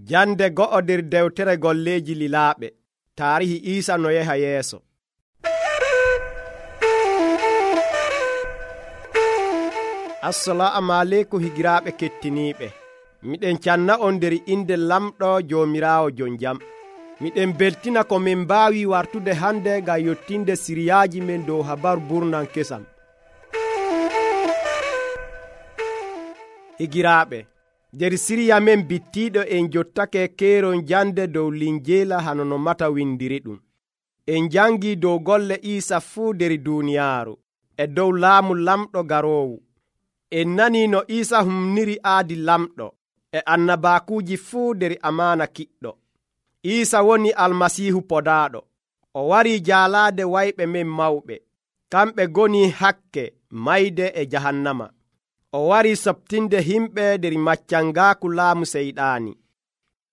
Jande go'o nder dewtere golleeji lilaaɓe. Taarihi Iisa no yaha yeeso. Assalamu aleykum higiraaɓe kettiniiɓe. Miɗen canna on nder inde lamɗo Joomiraawo jon jam. Miɗen beltina ko min mbaawi wartude hande ngam yottinde siriyaaji men dow habaru burnan kesam. Higiraaɓe, nder siriya men bittiiɗo en jottake keeron jande dow linjeela hano no mata windiri ɗum. En jangi dow golle Iisa fuu nder duuniyaaru e dow laamu lamɗo garoowu. En nani no Iisa humniri aadi lamɗo e annabaakuuji fuu nder amaana kiɗɗo. Iisa woni almasiihu podaaɗo. O warii jaalaade wayɓe men mawɓe, kamɓe goni hakke, mayde e jahannama. O warii soɓtinde himɓe nder maccangaaku laamu seyɗaani.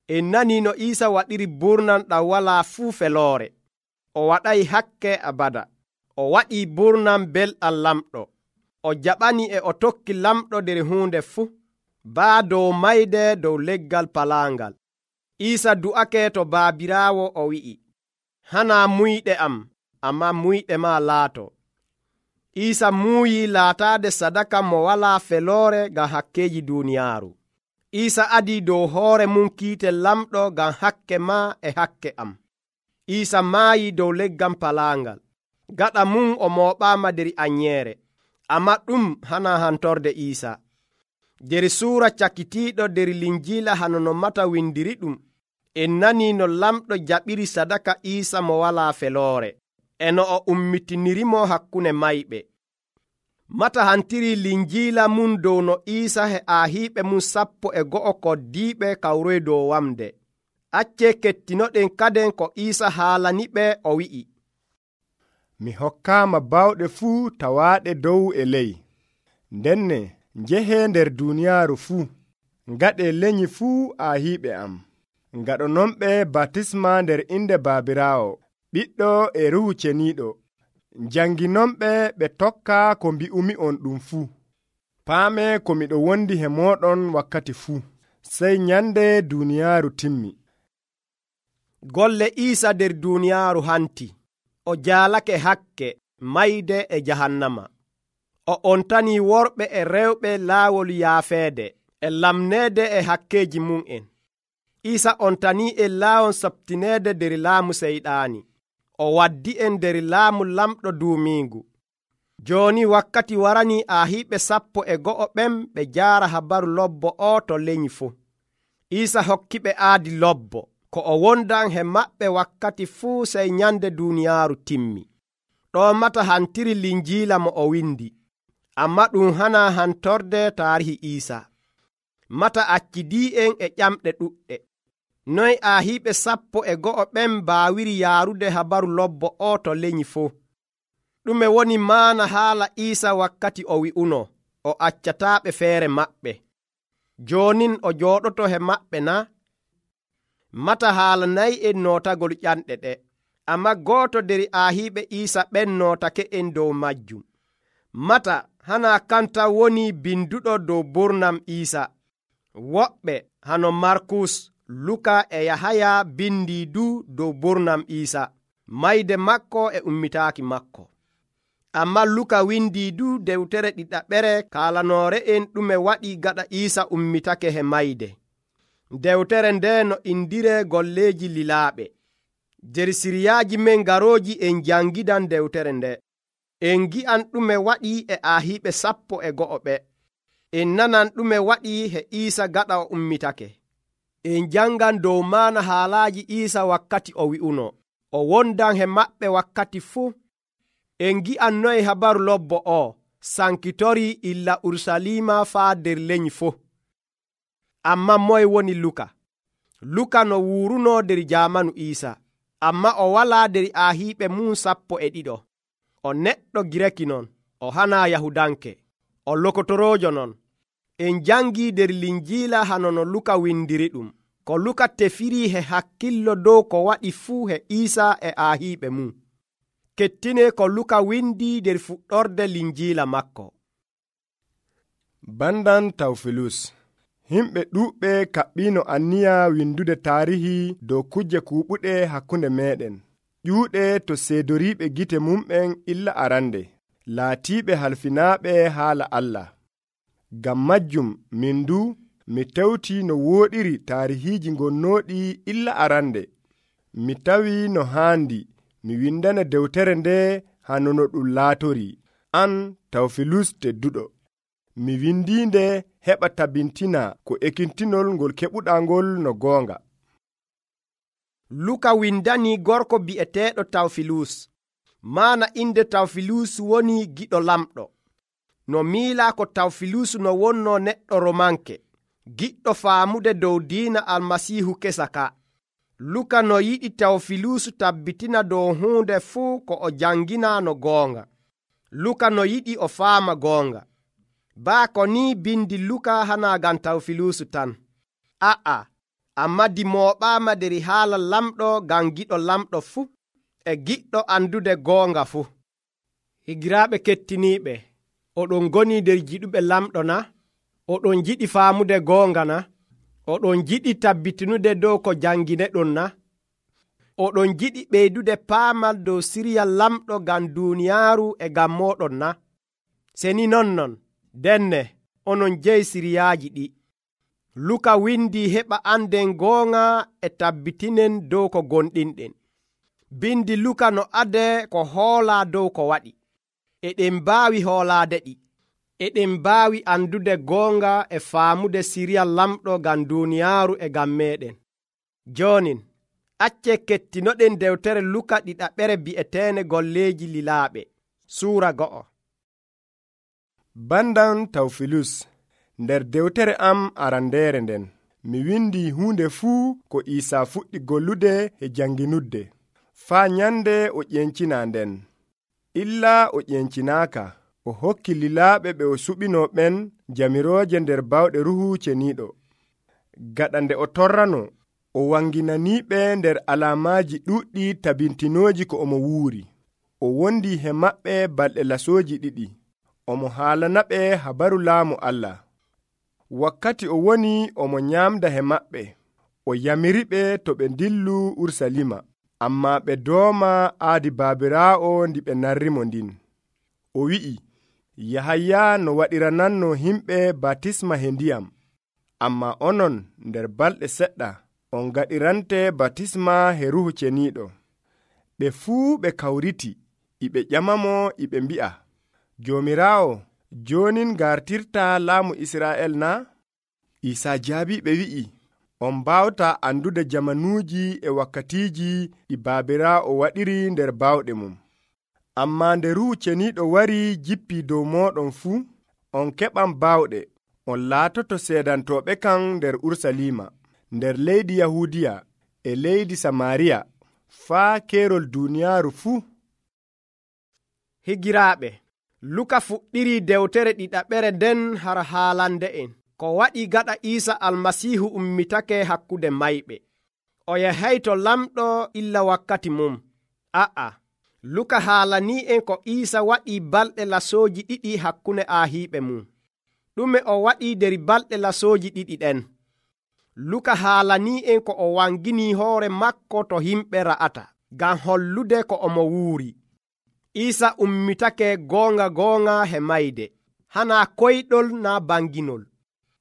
En nani no Iisa waɗiri burnan ɗam walaa fuu feloore. O waɗay hakke abada. O waɗii burnan belɗam lamɗo. O jaɓani e o tokki lamɗo nder huunde fuu, baa dow mayde dow leggal palaangal. Iisa du'ake to baabiraawo o wi'i, hanaa muyɗe am, ammaa muyɗe maa laato. Iisa muuyi laataade sadaka mo walaa feloore ngam hakkeeji duuniyaaru. Iisa adii dow hoore mum kiite lamɗo ngam hakke maa e hakke am. Iisa maayi dow leggal palaangal. Gaɗa mum o mooɓaama nder anyeere. Ammaa ɗum hanaa hantorde Iisa. Nder suura cakitiiɗo nder linjiila hano no mata windiri ɗum, en nanii no lamɗo jaɓiri sadaka Iisa mo walaa feloore, e no o ummitinirimo hakkunde mayɓe. Mata hantiri linjiila mum dow no Iisa he aahiiɓe mum 12 koddiiɓe kawroyi dow wamde. Accee kettinoɗen kaden ko Iisa haalaniɓe o wi'i, mi hokkaama bawɗe fuu tawaaɗe dow e ley. Ndenne njehee nder duuniyaaru fuu, ngaɗee lenyi fuu aahiiɓe am. Ngaɗonomɓe batisma nder inde Baabiraawo, Ɓiɗɗo e Ruuhu Ceniiɗo. Janginomɓe ɓe tokka ko mbi'umi on ɗum fuu. Paamee ko miɗo wondi he mooɗon wakkati fuu, sey nyande duuniyaaru timmi. Golle Iisa nder duuniyaaru hanti. O jaalake hakke, mayde e jahannama. O ontanii worɓe e rewɓe laawol yaafeede e lamneede e hakkeeji mum'en. Iisa ontanii en laawol saɓtineede nder laamu seyɗaani. O waddi en nder laamu lamɗo duumiingu. Jooni wakkati waranii aahiiɓe 12 ɓen ɓe jaara habaru lobbo o to lenyi fuu. Iisa hokkiɓe aadi lobbo, ko o wondan he maɓɓe wakkati fuu sey nyande duuniyaaru timmi. Ɗo mata hantiri linjiila mo o windi. Ammaa ɗum hanaa hantorde taarihi Iisa. Mata accidii'en e ƴamɗe ɗuɗɗe. Noy aahiiɓe 12 ɓen mbaawiri yaarude habaru lobbo o to lenyi fuu? Ɗume woni maana haala Iisa wakkati o wi'uno o accataaɓe feere maɓɓe? Joonin o jooɗoto he maɓɓe na? Mata haalanayi en nootagol ƴanɗe ɗe. Ammaa gooto nder aahiiɓe Iisa ɓen nootake en dow majjum. Mata hanaa kanta woni binduɗo dow burnam Iisa. Woɓɓe hano Markus, Luka e Yahaya bindi du dow burnam Iisa, mayde makko e ummitaaki makko. Ammaa Luka windi du dewtere ɗiɗaɓere kaalanoore en ɗume waɗi gaɗa Iisa ummitake he mayde. Dewtere nde no indire golleeji lilaaɓe. Nder siriyaaji men garooji en jangidan dewtere nde. En gi'an ɗume waɗi e aahiiɓe 12 ɓe. En nanan ɗume waɗi he Iisa gaɗa o ummitake. En jangan dow maana haalaaji Iisa wakkati o wi'uno o wondan he maɓɓe wakkati fuu. En gi'an noye habaru lobbo o sankitori illa Urusalima faa nder lenyi fuu. Ammaa moye woni Luka? Luka no wuuruno nder jaamanu Iisa, ammaa o walaa nder aahiiɓe mum 12. O neɗɗo Gireki non, o hanaa Yahudanke, o lokotoroojo non. En jangi nder linjiila hano no Luka windiri ɗum. Ko Luka tefiri he hakkillo dow ko waɗi fuu he Iisa e aahiiɓe mum. Kettine ko Luka windi nder fuɗɗorde linjiila makko. Bandan Tawfilus, Himɓe ɗuuɓɓe kaɓɓiino anniya windude taarihi dow kujje kuuɓuɗe hakkunde meeɗen. ƴuuɗe to seedoriiɓe gite mumɓen illa arande, laatiiɓe halfinaaɓe haala Allah. Ngam majjum min du mi tewti no wooɗiri taarihiiji gonnooɗi illa arande. Mi tawi no haandi mi windana dewtere nde hano no ɗum laatori. An Tawfilus tedduɗo, mi windiinde heɓa tabintina ko ekintinol ngol keɓuɗaa ngol no goonga. Luka windani gorko bi'eteeɗo Tawfilus. Maana inde Tawfilus woni giɗo lamɗo. No miilaa ko Tawfilus no wonno neɗɗo romanke, giɗɗo faamude dow diina Almasiihu kesa ka. Luka no yiɗi Tawfilus tabbitina dow huunde fuu ko o jangina no goonga. Luka no yiɗi o faama goonga. Baako ni bindi Luka hana gam Tawfilus tan. A'a, amma di mooɓaama deri haala lamɗo gam giɗo lamɗo fuu e giɗɗo andude goonga fuu. Higiraaɓe kettiniiɓe, oɗon goni der jiɗuɓe lamɗo na? Oɗon jiɗi faamude goonga na? Oɗon jiɗi tabbitinude dow ko jangineɗon na? Oɗon jiɗi ɓeydude paamal dow siriya lamɗo gam duuniyaaru e gam moɗon na? Seni nonnon, denne onon jeyi siriyaaji ɗi. Luka windi heɓa anden goonga e tabbitinen dow ko gonɗinɗen. Bindi Luka no ade ko hoolaa dow ko waɗi. Eɗen mbaawi hoolaade ɗi. Eɗen mbaawi andude goonga e faamude siriya lamɗo gam duuniyaaru e gam meɗen. Joonin, acce kettinoɗen dewtere Luka ɗiɗaɓere bi'eteene golleeji lilaaɓe, suura 1. Bandan Tawfilus, nder dewtere am arandeere nden, mi windi huunde fuu ko Iisaa fuɗɗi gollude e janginudde, faa nyande o ƴencina nden. Illa o ƴencinaaka, o hokki lilaaɓe ɓe o suɓino ɓen jamirooje nder bawɗe Ruuhu Ceniiɗo. Gaɗa nde o torrano, o wanginaniiɓe nder alaamaaji ɗuuɗɗi tabintinooji ko omo wuuri. O wondi he maɓɓe balɗe lasooji 2. Omo haalanaɓe habaru laamu Allah. Wakkati o woni omo nyaamda he maɓɓe, o yamiriɓe to ɓe dillu Urusalima, ammaa ɓe dooma aadi baabiraawo ndi ɓe narrimo ndin. O wi'i, Yahaya no waɗirananno himɓe batisma he ndiyam, ammaa onon nder balɗe seɗɗa on gaɗirante batisma he Ruuhu Ceniiɗo. Ɓe fuu ɓe kawriti, iɓe ƴamamo iɓe mbi'a, Joomiraawo, jonin gartirta laamu Israa'el na? Iisaa jaabi ɓe wi'i, on mbawta andude jamanuuji e wakkatiiji ɗi baabiraawo waɗiri nder bawɗe mum. Ammaa nde Ruuhu Ceniiɗo wari jippi dow mooɗon fuu, on keɓan bawɗe, on laatoto seedantooɓe kan nder Urusalima, nder leydi Yahuudiya e leydi Samaariya, faa keerol duuniyaaru fuu. Higiraaɓe, Luka fuɗɗiri dewtere ɗiɗaɓere nden har haalande en ko waɗi gaɗa Iisa Almasiihu ummitake hakkunde mayɓe. O yahay to lamɗo illa wakkati mum. A'a, Luka haalanii en ko Iisa waɗi balɗe lasooji 2 hakkunde aahiiɓe mum. Ɗume o waɗi der balɗe lasooji 2 ɗen? Luka haalanii en ko o wangini hoore makko to himɓe ra'ata, ngam hollude ko omo wuuri. Iisa ummitake goonga he mayde, hana koyɗol naa banginol.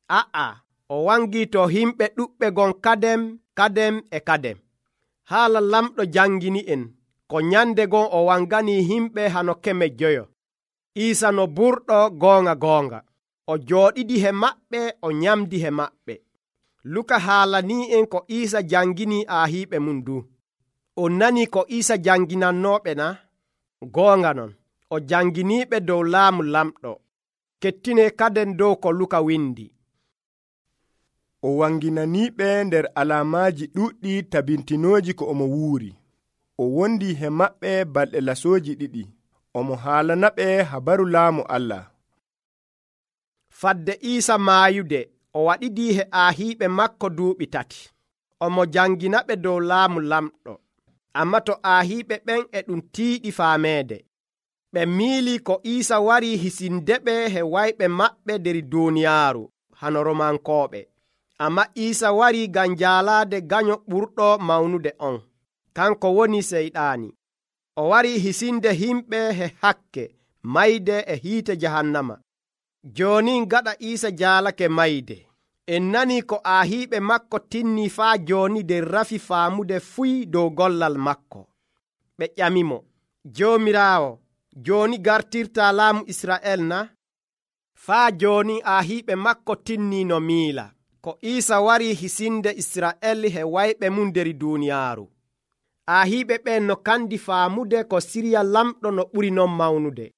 A'a, o wangi to himɓe ɗuɓɓe gon kadem e kadem. Haala lamɗo jangini en ko nyande gon o wangani himɓe hano 5. Iisa no burɗo goonga. O jooɗidi he maɓɓe, o nyamdi he maɓɓe. Luka haalanii en ko Iisa jangini aahiiɓe mum du. On nani ko Iisa janginannooɓe na? Goonga non, o janginiiɓe dow laamu lamɗo. Kettine kaden dow ko Luka windi. O wanginaniiɓe nder alaamaaji ɗuuɗɗi tabintinooji ko omo wuuri. O wondi he maɓɓe balɗe lasooji 2. Omo haalanaɓe habaru laamu Allah. Fadde Iisa maayude, o waɗidii he aahiiɓe makko duuɓi 3. Omo janginaɓe dow laamu lamɗo. Amma to aahiiɓe ɓen e ɗum tiiɗi faameede. Ɓe miili ko Iisa wari hisindeɓe he wayɓe maɓɓe der duuniyaaru, hano Romankooɓe. Amma Iisa wari ngam jaalaade ganyo ɓurɗo mawnude on, kanko woni Seyɗaani. O wari hisinde himɓe he hakke mayde e hiite jahannama. Jooni gaɗa Iisa jaalake mayde, en nani ko aahiiɓe makko tinni faa jooni nder rafi faamude fuy dow gollal makko. Ɓe ƴamimo, Joomiraawo, jooni gartirta laamu Israa'el na? Faa jooni aahiiɓe makko tinni no miila ko Iisa wari hisinde Israa'el he wayɓe mum nder duuniyaaru. Aahiiɓe ɓen no kandi faamude ko siriya lamɗo no ɓuri non mawnude.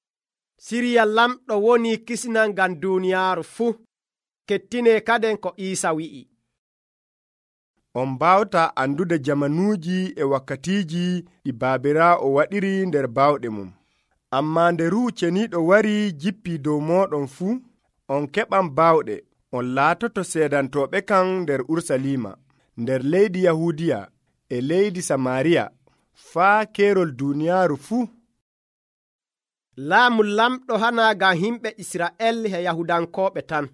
Siriya lamɗo woni kisnal ngam duuniyaaru fuu. Kettine kaden ko Iisa wi'i. On mbawta andude jamanuuji e wakkatiiji ɗi Baabiraawo waɗiri nder bawɗe mum. Ammaa nde Ruuhu Ceniiɗo wari jippii dow mooɗon fuu, on keɓan bawɗe, on laatoto seedantooɓe kan nder Urusalima, nder leydi Yahuudiya e leydi Samaariya, faa keerol duuniyaaru fuu. Laamu lamɗo hana ngam himɓe Israa'el he Yahudankooɓe tan.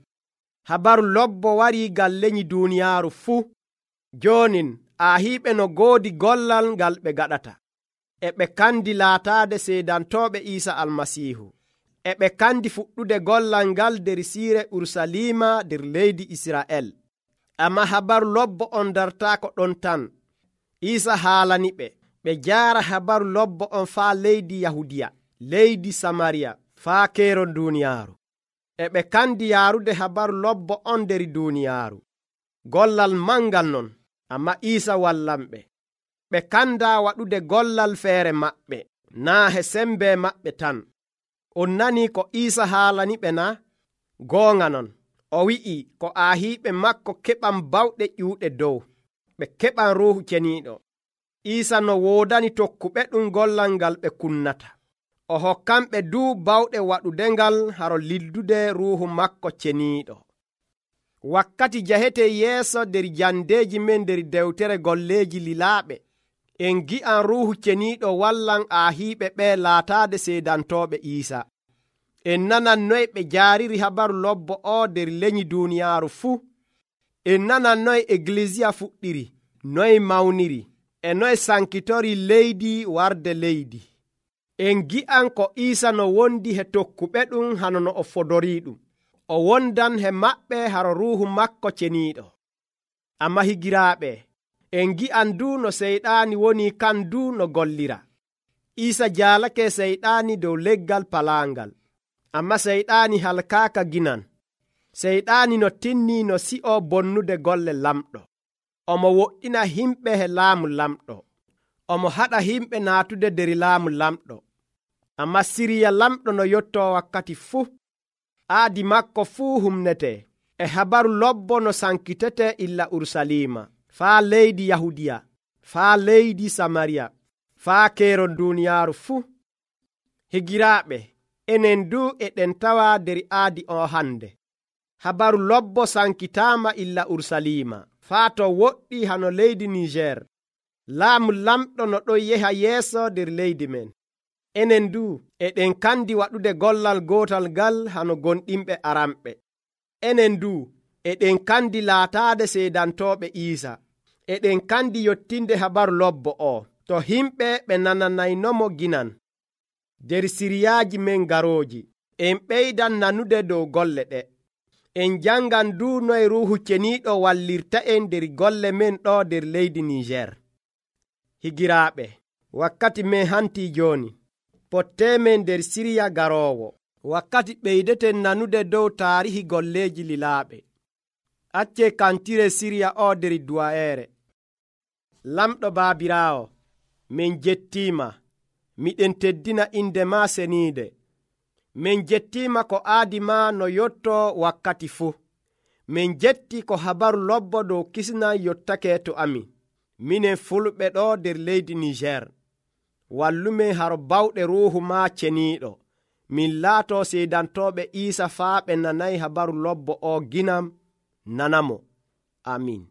Habaru lobbo wari ngam lenyi duuniyaaru fuu. Joonin aahiiɓe no goodi gollal ngal ɓe gaɗata. E ɓe kandi laataade seedantooɓe Iisa Almasiihu. E ɓe kandi fuɗɗude gollal ngal nder siire Urusalima nder leydi Israa'el. Ammaa habaru lobbo on dartaako ɗon tan. Iisa haalani ɓe jaara habaru lobbo on faa leydi Yahudiya, leydi Samariya, faa keerol duuniyaaru. E ɓe kandi yaarude habaru lobbo on nder duuniyaaru. Gollal mangal non, amma Iisa wallanɓe. Ɓe kanda waɗude gollal feere maɓɓe, naa he sembe maɓɓe tan. On nani ko Iisa haalani ɓe na? Goonga non, o wi'i ko aahiiɓe makko keɓan bawɗe ƴuuɗe dow, ɓe keɓan Ruuhu Ceniiɗo. Iisa no woodani tokkuɓe ɗum gollal ngal ɓe kunnata. O hokkanɓe duu bawɗe waɗudengal haro liddude Ruuhu makko Ceniiɗo. Wakkati jahete yeeso nder jandeeji men nder dewtere golleeji lilaaɓe, en gi'an Ruuhu Ceniiɗo wallan aahiiɓe ɓe laataade seedantooɓe Iisa. En nanan noy ɓe jaariri habaru lobbo o nder lenyi duuniyaaru fuu. En nanan noy Egilisiya fuɗɗiri, noy mawniri, e noy sankitori leydi warde leydi. En gi'an ko Iisa no wondi he tokkuɓe ɗum hano no o fodorii ɗum. O wondan he maɓɓe haro Ruuhu makko Ceniiɗo. Amma higiraaɓe, en gi'an du no Seyɗaani woni kan du no gollira. Iisa jaalake Seyɗaani dow leggal palaangal, amma Seyɗaani halkaaka ginan. Seyɗaani no tinni no si'o bonnude golle lamɗo. Omo woɗɗina himɓe he laamu lamɗo. Omo haɗa himɓe naatude nder laamu lamɗo. Amma siriya lamɗo no yottoo wakkati fuu. Aadi makko fuu humnete. E habaru lobbo no sankitete illa Urusalima, faa leydi Yahudiya, faa leydi Samariya, faa keerol duuniyaaru fuu. Higiraaɓe, enen du eɗen tawa nder aadi o hande. Habaru lobbo sankitaama illa Urusalima, faa to woɗɗi hano leydi Niger. Laamu lamɗo no ɗon yeha yeeso nder leydi men. Enen du eɗen kandi waɗude gollal gootal ngal hano gonɗinɓe aramɓe. Enen du eɗen kandi laataade seedantooɓe Iisa. Eɗen kandi yottinde habaru lobbo o to himɓe ɓe nananaynomo ginan. Nder siriyaaji men garooji, en ɓeydan nanude dow golle ɗe. En jangan du noye Ruuhu Ceniiɗo wallirta en nder golle men ɗo nder leydi Niger. Higiraaɓe, wakkati men hantii jooni. Potteemen nder siriya garoowo. Wakkati ɓeydeten nanude dow taarihi golleeji lilaaɓe. Accee kantire siriya o nder duwayeere. Lamɗo Baabiraawo, min jettiima, miɗen teddina inde ma seniide. Min jettiima ko aadi ma no yottoo wakkati fuu. Min jetti ko habaru lobbo dow kisnal yottake to amin. Minen fulɓe ɗo nder leydi Niger. Wallumen haro bawɗe Ruuhu ma Ceniiɗo. Min laato seedantooɓe Iisa faa ɓe nanayi habaru lobbo o ginam nanamo. Amin.